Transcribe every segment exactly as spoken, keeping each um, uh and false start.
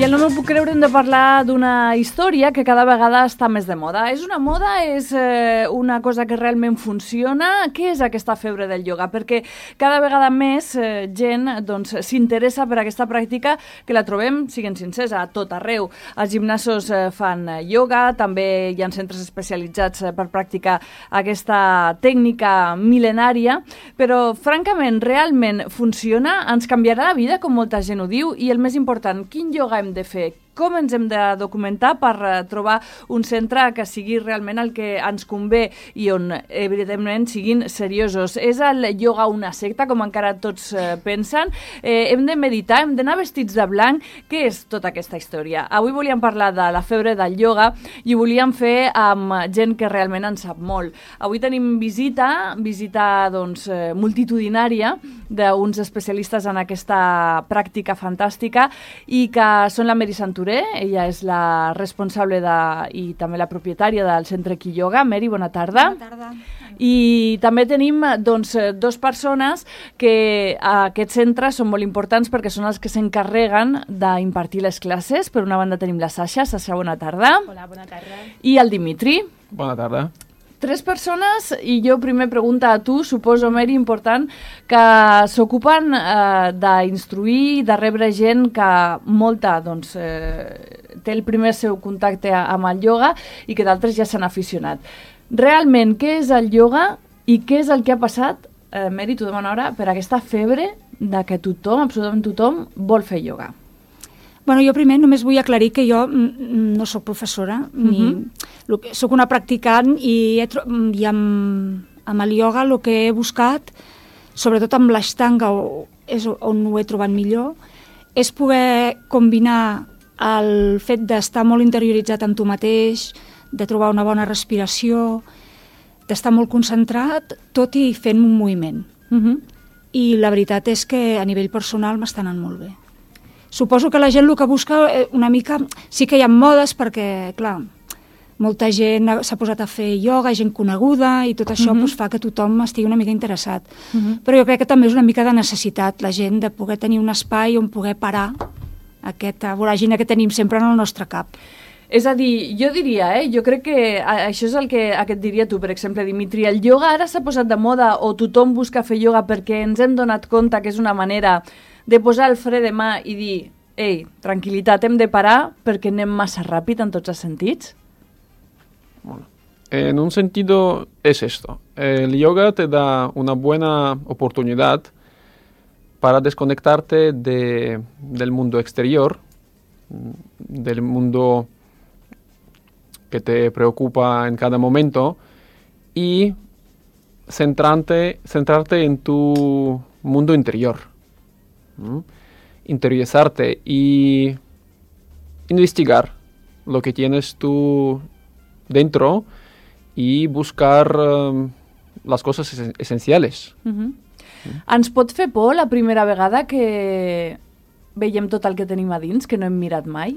el No m'ho puc creure hem de parlar d'una història que cada vegada està més de moda. És una moda? És eh, una cosa que realment funciona? Què és aquesta febre del ioga? Perquè cada vegada més eh, gent doncs, s'interessa per aquesta pràctica que la trobem, siguem sincers, a tot arreu. Els gimnasos eh, fan ioga, també hi ha centres especialitzats eh, per practicar aquesta tècnica mil·lenària, però francament, realment funciona? Ens canviarà la vida, com molta gent ho diu? I el més important, quin ioga hem de fer? Com ens hem de documentar per uh, trobar un centre que sigui realment el que ens convé i on, evidentment, siguin seriosos? És el ioga una secta, com encara tots uh, pensen? Eh, hem de meditar, hem d'anar vestits de blanc? Què és tota aquesta història? Avui volíem parlar de la febre del ioga i ho volíem fer amb gent que realment en sap molt. Avui tenim visita, visita doncs, eh, multitudinària d'uns especialistes en aquesta pràctica fantàstica i que són la Mary Santuré. Ella és la responsable de, i també la propietària del centre Quiyoga. Mary, bona tarda. Bona tarda. I també tenim doncs, dos persones que a aquest centre són molt importants perquè són els que s'encarreguen d'impartir les classes. Per una banda tenim la Sasha. Sasha, bona tarda. Hola, bona tarda. I el Dimitri. Bona tarda. Tres persones, i jo primer pregunta a tu, suposo, Mary, important, que s'ocupen eh, d'instruir, de rebre gent que molta doncs, eh, té el primer seu contacte amb el ioga i que d'altres ja s'han aficionat. Realment, què és el ioga i què és el que ha passat, eh, Mary, tu demana ara, per aquesta febre de que tothom, absolutament tothom, vol fer ioga? Bueno, jo primer només vull aclarir que jo no sóc professora, ni uh-huh. sóc una practicant i, he, i amb, amb el ioga el que he buscat, sobretot amb l'ashtanga, és on ho he trobat millor, és poder combinar el fet d'estar molt interioritzat en tu mateix, de trobar una bona respiració, d'estar molt concentrat, tot i fent un moviment. Uh-huh. I la veritat és que a nivell personal m'està anant molt bé. Suposo que la gent el que busca una mica... Sí que hi ha modes perquè, clar, molta gent s'ha posat a fer ioga, gent coneguda, i tot això uh-huh. doncs, fa que tothom estigui una mica interessat. Uh-huh. Però jo crec que també és una mica de necessitat, la gent, de poder tenir un espai on poder parar aquesta voràgina que tenim sempre en el nostre cap. És a dir, jo diria, eh, jo crec que això és el que, el que et diria tu, per exemple, Dimitri, el ioga ara s'ha posat de moda o tothom busca fer ioga perquè ens hem donat compte que és una manera de posar el fre de mà i dir, ei, tranquil·litat, hem de parar perquè anem massa ràpid en tots els sentits? Bueno, en un sentido es esto. El yoga te da una buena oportunidad para desconectarte de, del mundo exterior, del mundo que te preocupa en cada momento y centrarte, centrarte en tu mundo interior. ¿Mm? Interiorizarte y investigar lo que tienes tú dentro y buscar um, las cosas es- esenciales. Uh-huh. Mm. Ens pot fer por la primera vegada que veiem tot el que tenim a dins, que no hem mirat mai?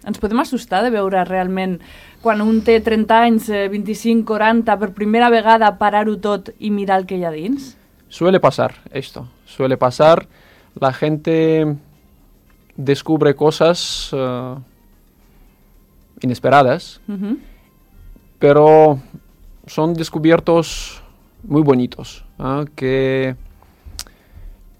Ens podem assustar de veure realment, quan un té trenta anys, vint-i-cinc, quaranta, per primera vegada parar-ho tot i mirar el que hi ha dins? Suele pasar esto, suele pasar. La gente descubre cosas uh, inesperadas, uh-huh. pero son descubiertos muy bonitos, ¿eh? que,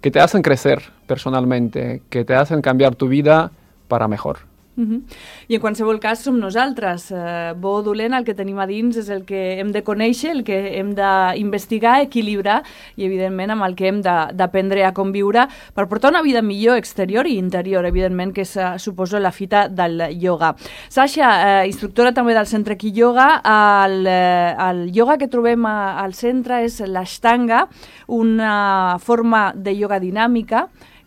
que te hacen crecer personalmente, que te hacen cambiar tu vida para mejor. Uh-huh. I en qualsevol cas som nosaltres, eh, bo o dolent, el que tenim a dins és el que hem de conèixer, el que hem d'investigar, equilibrar i evidentment amb el que hem d'aprendre a conviure per portar una vida millor exterior i interior, evidentment, que és, suposo, la fita del ioga. Sasha, eh, instructora també del centre Quiyoga, el, eh, el ioga que trobem a, al centre és l'ashtanga, una forma de ioga dinàmica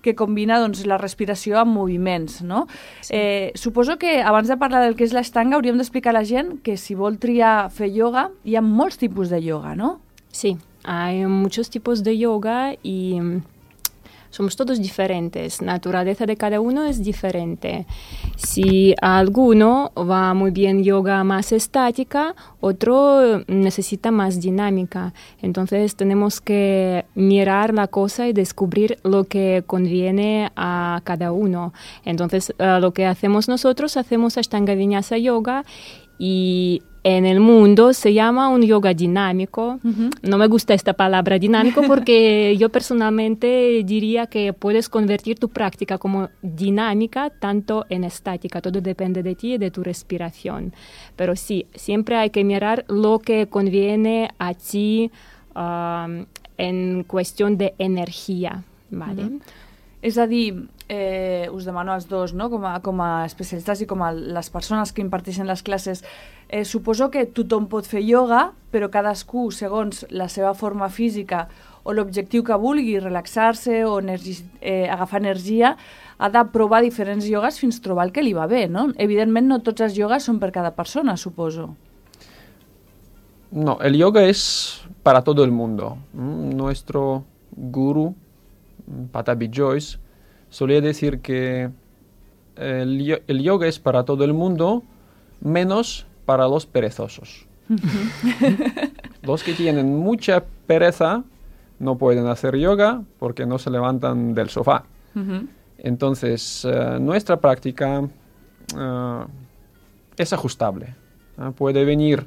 que combina doncs, la respiració amb moviments, no? Sí. Eh, suposo que abans de parlar del que és l'ashtanga hauríem d'explicar a la gent que si vol triar fer ioga hi ha molts tipus de ioga, ¿no? Sí, hay muchos tipos de yoga y somos todos diferentes, la naturaleza de cada uno es diferente. Si a alguno va muy bien yoga más estática, otro necesita más dinámica. Entonces tenemos que mirar la cosa y descubrir lo que conviene a cada uno. Entonces uh, lo que hacemos nosotros, hacemos Ashtanga Vinyasa Yoga, y en el mundo se llama un yoga dinámico. Uh-huh. No me gusta esta palabra dinámico porque yo personalmente diría que puedes convertir tu práctica como dinámica tanto en estática. Todo depende de ti y de tu respiración. Pero sí, siempre hay que mirar lo que conviene a ti um, en cuestión de energía, ¿vale? Uh-huh. És a dir, eh, us demano als dos, no? com, a, com a especialistes i com a les persones que imparteixen les classes, eh, suposo que tothom pot fer ioga, però cadascú, segons la seva forma física o l'objectiu que vulgui, relaxar-se o energi, eh, agafar energia, ha de provar diferents iogues fins trobar el que li va bé, no? Evidentment, no tots els iogues són per cada persona, suposo. No, el yoga es para todo el mundo. Nuestro gurú, Pattabhi Jois, solía decir que el, el yoga es para todo el mundo, menos para los perezosos. Los que tienen mucha pereza no pueden hacer yoga porque no se levantan del sofá. Uh-huh. Entonces, uh, nuestra práctica uh, es ajustable. Uh, puede venir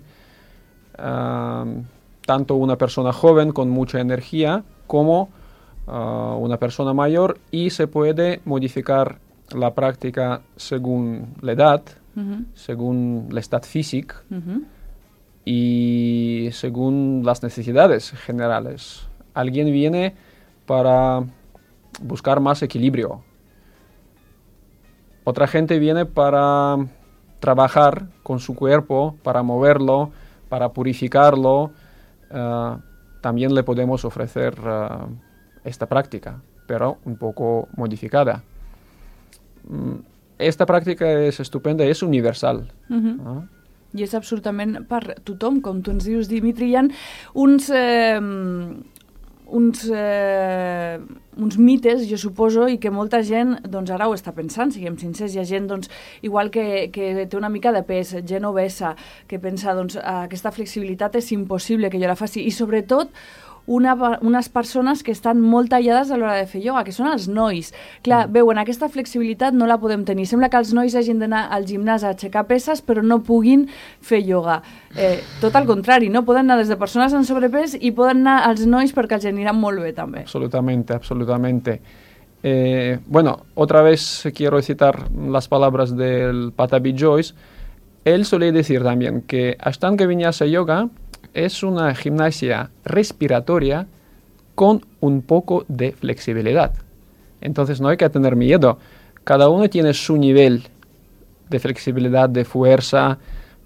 uh, tanto una persona joven con mucha energía como Uh, una persona mayor, y se puede modificar la práctica según la edad, uh-huh. según el estado físico uh-huh. y según las necesidades generales. Alguien viene para buscar más equilibrio. Otra gente viene para trabajar con su cuerpo, para moverlo, para purificarlo. Uh, también le podemos ofrecer uh, esta práctica, pero un poco modificada. Esta práctica és estupenda, és universal. Uh-huh. Ah? I és absolutament per tothom, com tu ens dius, Dimitri. Hi ha uns, eh, uns, eh, uns mites, jo suposo, i que molta gent doncs, ara ho està pensant, siguem sincers. Hi ha gent doncs, igual que, que té una mica de pes, gent obesa, que pensa doncs, aquesta flexibilitat és impossible que jo la faci. I sobretot, Una, unes persones que estan molt tallades a l'hora de fer ioga, que són els nois. Clar, mm. veuen, aquesta flexibilitat no la podem tenir. Sembla que els nois hagin d'anar al gimnàs a aixecar peses, però no puguin fer ioga. Eh, tot al contrari, no? Poden anar des de persones en sobrepès i poden anar als nois perquè els aniran molt bé, també. Absolutamente, absolutamente. Eh, bueno, otra vez quiero citar las palabras del Pattabhi Jois. Él solía decir también que Ashtanga Vinyasa Yoga es una gimnasia respiratoria con un poco de flexibilidad. Entonces no hay que tener miedo. Cada uno tiene su nivel de flexibilidad, de fuerza,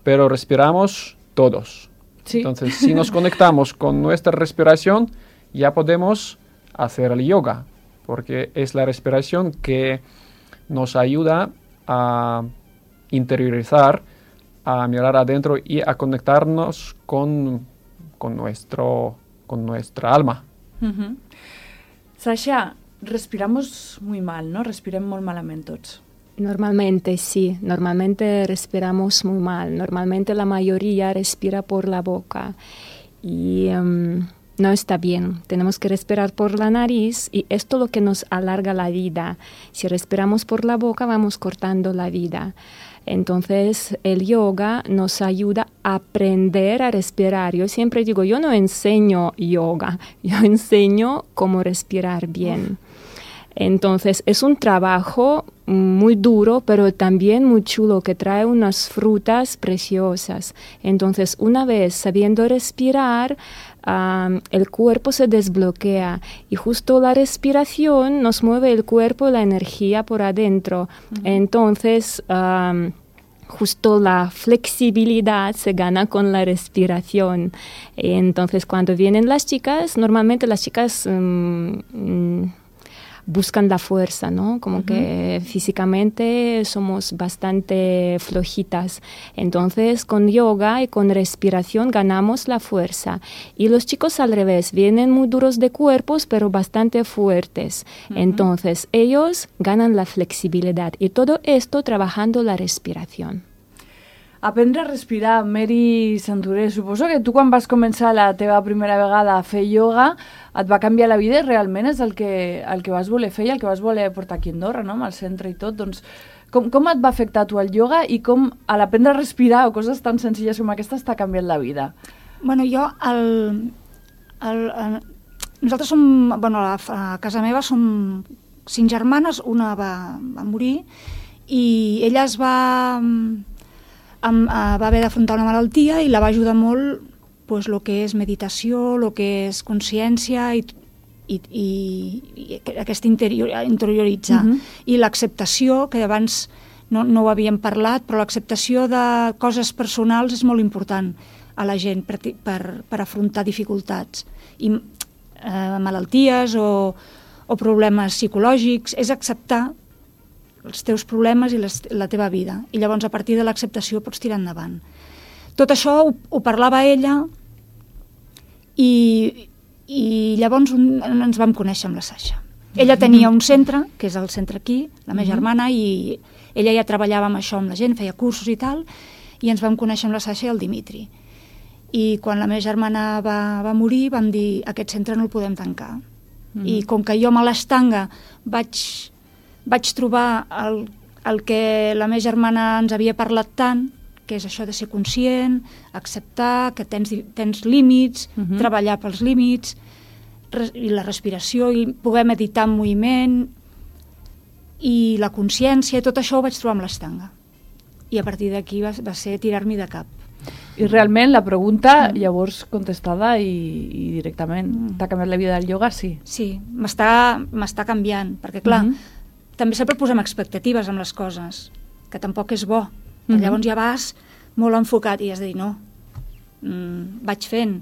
pero respiramos todos. Sí. Entonces, si nos conectamos con nuestra respiración, ya podemos hacer el yoga, porque es la respiración que nos ayuda a interiorizar, a mirar adentro y a conectarnos con, con, nuestro, con nuestra alma. Uh-huh. Sasha, respiramos muy mal, ¿no? Respirem molt malament tots. Normalmente sí, normalmente respiramos muy mal. Normalmente la mayoría respira por la boca y um, no está bien. Tenemos que respirar por la nariz y esto es lo que nos alarga la vida. Si respiramos por la boca vamos cortando la vida. Entonces, el yoga nos ayuda a aprender a respirar. Yo siempre digo, yo no enseño yoga, yo enseño cómo respirar bien. Entonces, es un trabajo muy duro, pero también muy chulo, que trae unas frutas preciosas. Entonces, una vez sabiendo respirar, um, el cuerpo se desbloquea y justo la respiración nos mueve el cuerpo y la energía por adentro. Uh-huh. Entonces, um, justo la flexibilidad se gana con la respiración. Entonces, cuando vienen las chicas, normalmente las chicas Um, um, buscan la fuerza, ¿no? Como Uh-huh. que físicamente somos bastante flojitas. Entonces, con yoga y con respiración ganamos la fuerza. Y los chicos al revés, vienen muy duros de cuerpos, pero bastante fuertes. Uh-huh. Entonces, ellos ganan la flexibilidad. Y todo esto trabajando la respiración. Aprendre a respirar, Mary Santuré. Suposo que tu quan vas començar la teva primera vegada a fer ioga et va canviar la vida i realment és el que, el que vas voler fer i el que vas voler portar aquí a Andorra, no? Amb el centre i tot. Doncs, com, com et va afectar tu el ioga i com a l'aprendre a respirar o coses tan senzilles com aquestes t'ha canviat la vida? Bueno, jo, el, el, el, nosaltres som, bueno, a, a casa meva som cinc germanes, una va, va morir i ella es va... Am, uh, va haver d'afrontar una malaltia i la va ajudar molt pues, lo que és meditació, lo que és consciència i, i, i, i aquest interior, interioritzar. Uh-huh. I l'acceptació, que abans no, no ho havíem parlat, però l'acceptació de coses personals és molt important a la gent per, per, per afrontar dificultats. I eh, malalties o, o problemes psicològics, és acceptar els teus problemes i les, la teva vida. I llavors, a partir de l'acceptació, pots tirar endavant. Tot això ho, ho parlava ella i, i llavors un, ens vam conèixer amb la Sasha. Ella tenia un centre, que és el centre aquí, la meva uh-huh. germana, i ella ja treballava amb això, amb la gent, feia cursos i tal, i ens vam conèixer amb la Sasha i el Dimitri. I quan la meva germana va, va morir, vam dir, aquest centre no el podem tancar. Uh-huh. I com que jo a l'Estanga vaig... vaig trobar el, el que la meva germana ens havia parlat tant, que és això de ser conscient, acceptar que tens, tens límits, uh-huh. treballar pels límits, res, i la respiració, i poder meditar en moviment, i la consciència, tot això ho vaig trobar amb l'Estanga. I a partir d'aquí va, va ser tirar-m'hi de cap. I realment la pregunta mm. llavors contestada i, i directament mm. t'ha canviat la vida del ioga, sí? Sí, m'està, m'està canviant, perquè clar, mm-hmm. també sempre posem expectatives amb les coses, que tampoc és bo. Mm-hmm. Llavors ja vas molt enfocat i has de dir no, mm, vaig fent.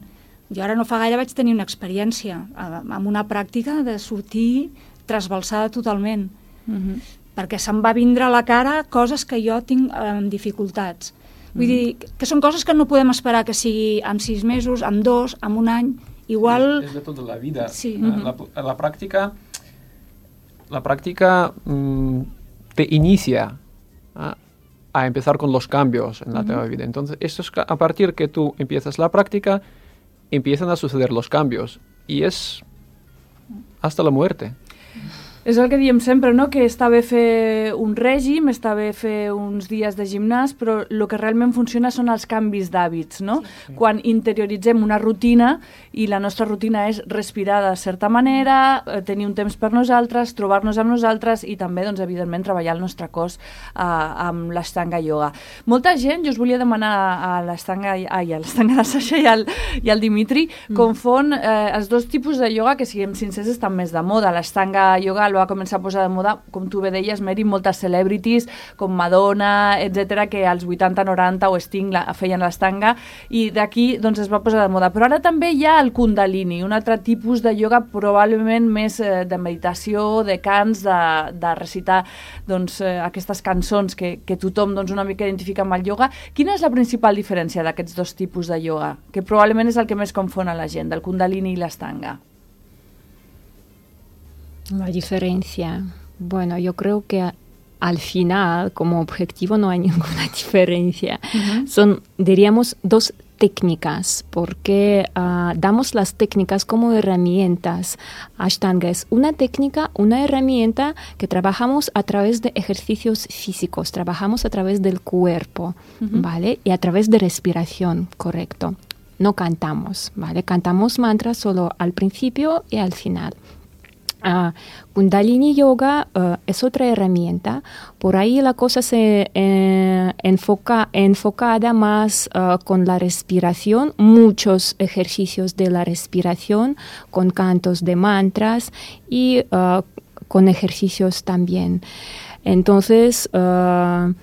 Jo ara no fa gaire vaig tenir una experiència amb una pràctica de sortir trasbalsada totalment, mm-hmm. perquè se'm va vindre a la cara coses que jo tinc amb dificultats. Vull mm. dir, que són coses que no podem esperar que sigui amb sis mesos, amb dos, amb un any, igual... És de tota la vida. Sí. Mm-hmm. La, la pràctica... La práctica mmm, te inicia ¿ah? a empezar con los cambios en la uh-huh. vida. Entonces, esto es a partir que tú empiezas la práctica, empiezan a suceder los cambios. Y es hasta la muerte. És el que diem sempre, no? Que està bé fer un règim, està bé fer uns dies de gimnàs, però el que realment funciona són els canvis d'hàbits, no? Sí. Quan interioritzem una rutina i la nostra rutina és respirar de certa manera, tenir un temps per nosaltres, trobar-nos amb nosaltres i també, doncs, evidentment, treballar el nostre cos eh, amb l'Ashtanga Yoga. Molta gent, jo us volia demanar a l'Ashtanga, ai, a l'Ashtanga de Sasha i al, i al Dimitri, mm. confon eh, els dos tipus de yoga que, siguem sincers, estan més de moda. L'Ashtanga Yoga el va començar a posar de moda, com tu bé deies, Mary, moltes celebrities, com Madonna, etcètera, que als vuitanta noranta o Sting la, feien l'Ashtanga, i d'aquí doncs, es va posar de moda. Però ara també hi ha el Kundalini, un altre tipus de yoga probablement més eh, de meditació, de cants, de, de recitar doncs, eh, aquestes cançons que, que tothom doncs, una mica identifica amb el yoga. Quina és la principal diferència d'aquests dos tipus de yoga? Que probablement és el que més confon a la gent, del Kundalini i l'Ashtanga. La diferencia, bueno, yo creo que al final, como objetivo, no hay ninguna diferencia. Uh-huh. Son, diríamos, dos técnicas, porque uh, damos las técnicas como herramientas. Ashtanga es una técnica, una herramienta que trabajamos a través de ejercicios físicos, trabajamos a través del cuerpo, uh-huh. ¿vale? Y a través de respiración, correcto. No cantamos, ¿vale? Cantamos mantras solo al principio y al final. Uh, Kundalini Yoga uh, es otra herramienta. Por ahí la cosa se eh, enfoca enfocada más uh, con la respiración, muchos ejercicios de la respiración, con cantos de mantras y uh, con ejercicios también. Entonces, uh,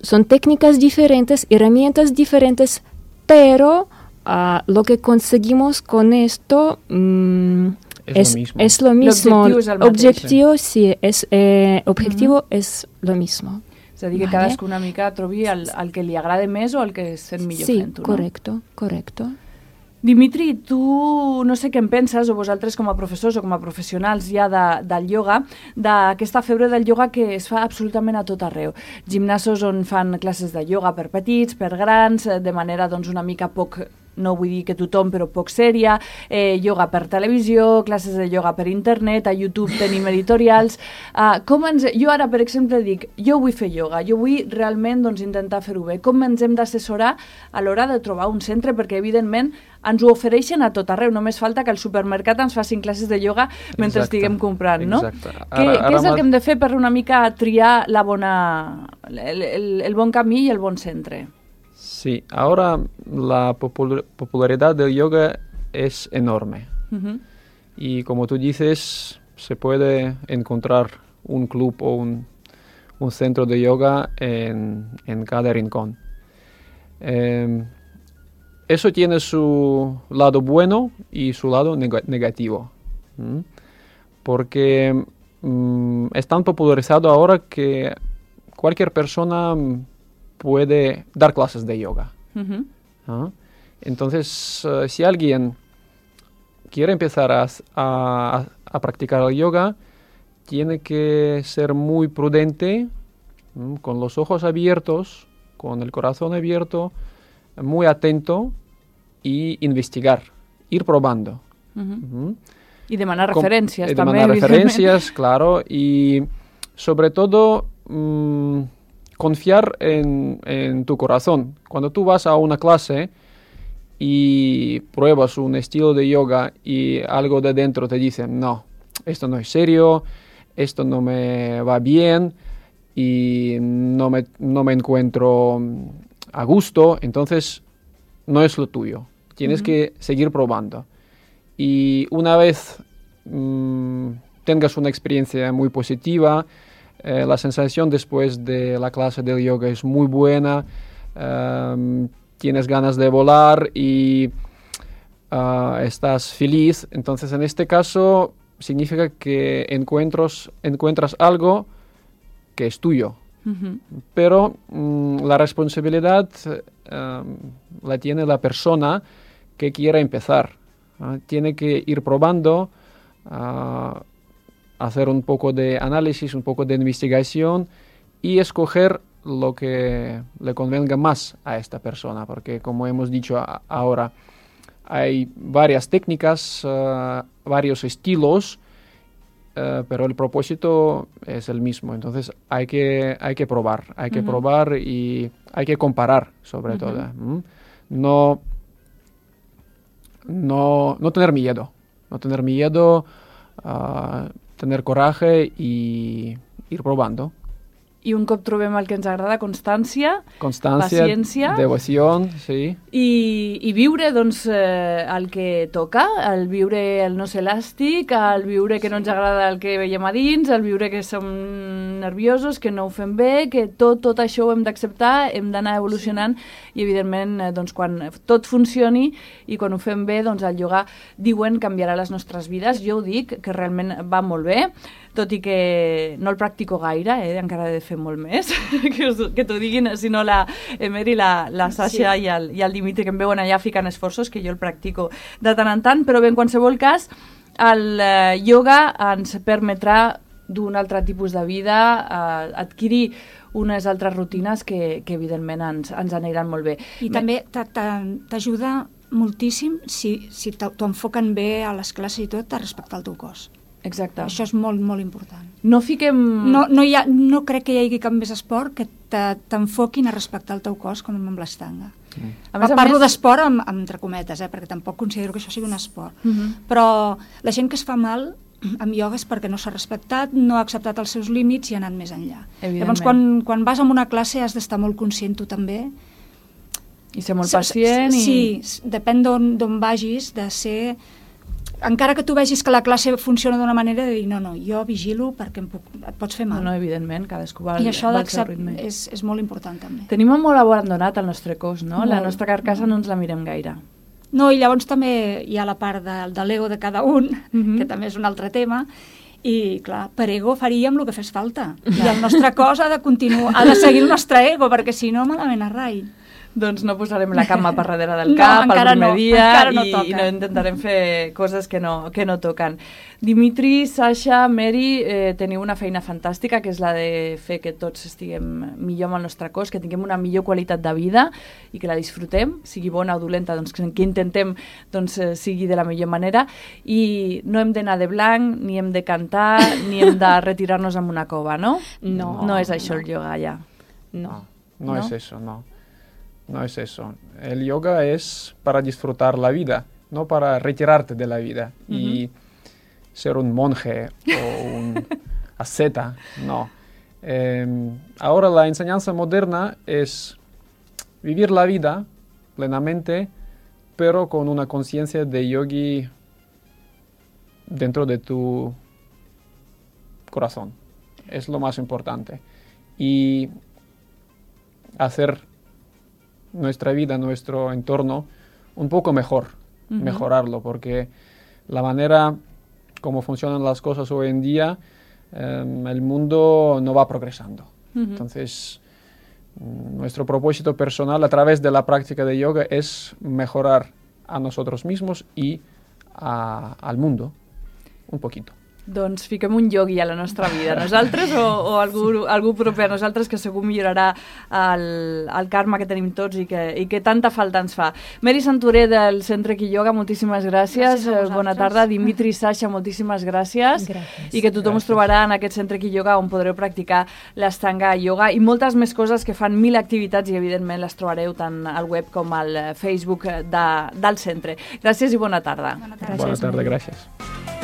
son técnicas diferentes, herramientas diferentes, pero uh, lo que conseguimos con esto... Um, es, es lo mismo. Es lo mismo. L'objectiu és el mateix. Objectiu, sí, es, eh, objetivo mm-hmm. es lo mismo. És a dir, que vale. cadascú una mica trobi el, el que li agrada més o el que es sent millor sí, fent-ho, no? correcto, correcto. Dimitri, tu no sé què en penses, o vosaltres com a professors o com a professionals ja de, del ioga, d'aquesta febre del ioga que es fa absolutament a tot arreu. Gimnasos on fan classes de ioga per petits, per grans, de manera doncs, una mica poc, no vull dir que tothom, però poc sèria, eh, ioga per televisió, classes de ioga per internet, a YouTube tenim editorials. Uh, com ens, jo ara, per exemple, dic, jo vull fer ioga, jo vull realment doncs, intentar fer-ho bé. Com ens hem d'assessorar a l'hora de trobar un centre? Perquè, evidentment, ens ho ofereixen a tot arreu. Només falta que al supermercat ens facin classes de ioga mentre Exacte. estiguem comprant, no? Exacte. Ara, què, ara què és el mas... que hem de fer per una mica triar la bona, el, el, el bon camí i el bon centre? Sí, ahora la popul- popularidad del yoga es enorme. Uh-huh. Y como tú dices, se puede encontrar un club o un, un centro de yoga en, en cada rincón. Eh, eso tiene su lado bueno y su lado neg- negativo. ¿Mm? Porque mm, es tan popularizado ahora que cualquier persona puede dar clases de yoga. Uh-huh. ¿Ah? Entonces, uh, si alguien quiere empezar a, a, a practicar el yoga, tiene que ser muy prudente, ¿m? Con los ojos abiertos, con el corazón abierto, muy atento y investigar, ir probando. Uh-huh. ¿M? I demanar Com- referències, eh, també, Demanar evidentment. referencias, claro, y sobre todo mmm, confiar en, en tu corazón. Cuando tú vas a una clase y pruebas un estilo de yoga y algo de dentro te dice, no, esto no es serio, esto no me va bien y no me, no me encuentro a gusto, entonces no es lo tuyo. Tienes uh-huh. que seguir probando. Y una vez mmm, tengas una experiencia muy positiva, eh, la sensación después de la clase del yoga es muy buena, um, tienes ganas de volar y uh, estás feliz. Entonces, en este caso, significa que encuentros, encuentras algo que es tuyo. Uh-huh. Pero um, la responsabilidad um, la tiene la persona que quiera empezar. Uh, tiene que ir probando, uh, hacer un poco de análisis, un poco de investigación y escoger lo que le convenga más a esta persona, porque como hemos dicho a- ahora, hay varias técnicas, uh, varios estilos, uh, pero el propósito es el mismo. Entonces hay que, hay que probar, hay que uh-huh. probar y hay que comparar sobre uh-huh. todo. ¿Mm? No, no, no tener miedo, no tener miedo, uh, tener coraje y ir probando. I un cop trobem el que ens agrada, constància, Constància, paciència devoció, sí. i, i viure doncs, eh, el que toca, el viure el no ser elàstic, el viure que no ens agrada el que veiem a dins, el viure que som nerviosos, que no ho fem bé, que tot, tot això ho hem d'acceptar, hem d'anar evolucionant i evidentment eh, doncs, quan tot funcioni i quan ho fem bé, doncs el ioga diuen canviarà les nostres vides. Jo ho dic, que realment va molt bé, tot i que no el practico gaire, eh? Encara he de fer molt més, que, us, que t'ho diguin, si no la Emer i la, la Sasha sí. i, el, i el Dimitri, que em veuen allà ficant esforços, que jo el practico de tant en tant, però bé, en qualsevol cas, el eh, ioga ens permetrà d'un altre tipus de vida, eh, adquirir unes altres rutines que, que evidentment ens, ens aniran molt bé. I Me... també t'a- t'a- t'ajuda moltíssim si, si t'ho t'ho enfoquen bé a les classes i tot, a respectar el teu cos. Exacte. Això és molt, molt important. No fiquem... No, no, hi ha, no crec que hi hagi cap més esport que te- t'enfoquin a respectar el teu cos com amb l'estanga. Mm. A més a Parlo més- d'esport amb, amb entre cometes, eh, perquè tampoc considero que això sigui un esport. Uh -huh. Però la gent que es fa mal amb ioga és perquè no s'ha respectat, no ha acceptat els seus límits i ha anat més enllà. Llavors, quan, quan vas a una classe has d'estar molt conscient tu també. I ser molt S- s- pacient. I... Sí, s- depèn d'on d'on vagis, de ser... Encara que tu vegis que la classe funciona d'una manera, de dir, no, no, jo vigilo perquè em puc, et pots fer No, mal. no, evidentment, cadascú va, I això va al seu d'accept- ritme. és, és molt important també. Tenim molt abandonat el nostre cos, no? Molt, La nostra carcassa no ens la mirem gaire. No, i llavors també hi ha la part de, de l'ego de cada un, Mhm. que també és un altre tema, i clar, per ego faríem el que fes falta. I el nostre cos ha de continuar, ha de seguir el nostre ego, perquè si no, malament a rai. Doncs no posarem la cama per darrere del No, cap el encara primer no, dia encara no i, toca. i no intentarem fer coses que no, que no toquen. Dimitri, Sasha, Mary, eh, teniu una feina fantàstica, que és la de fer que tots estiguem millor amb el nostre cos, que tinguem una millor qualitat de vida i que la disfrutem, sigui bona o dolenta, doncs que, que intentem doncs, eh, sigui de la millor manera, i no hem d'anar de blanc, ni hem de cantar, ni hem de retirar-nos en una cova, no? No. No és això no. el yoga, ja. No. No, no, ¿No? es eso, no. No es eso. El yoga es para disfrutar la vida, no para retirarte de la vida y ser un monje o un asceta, no. Eh, ahora la enseñanza moderna es vivir la vida plenamente, pero con una conciencia de yogi dentro de tu corazón. Es lo más importante. Y hacer nuestra vida, nuestro entorno, un poco mejor, Ujú. mejorarlo, porque la manera como funcionan las cosas hoy en día, eh, el mundo no va progresando. Ujú. Entonces, mm, nuestro propósito personal a través de la práctica de yoga es mejorar a nosotros mismos y a- al mundo un poquito. Doncs fiquem un iogui a la nostra vida, nosaltres o, o algú, algú proper a nosaltres que segur millorarà el, el karma que tenim tots i que, i que tanta falta ens fa. Mary Santuré del Centre Ki Yoga, moltíssimes gràcies. Gràcies a Eh, Bona vosaltres. tarda. Dimitri, Sasha, moltíssimes gràcies. Gràcies. I que tothom us Gràcies. trobarà en aquest Centre Ki Yoga on podreu practicar l'Astanga Yoga i moltes més coses que fan mil activitats i evidentment les trobareu tant al web com al Facebook de, del centre. Gràcies i bona tarda. Bona tarda. Buenas tardes, gracias.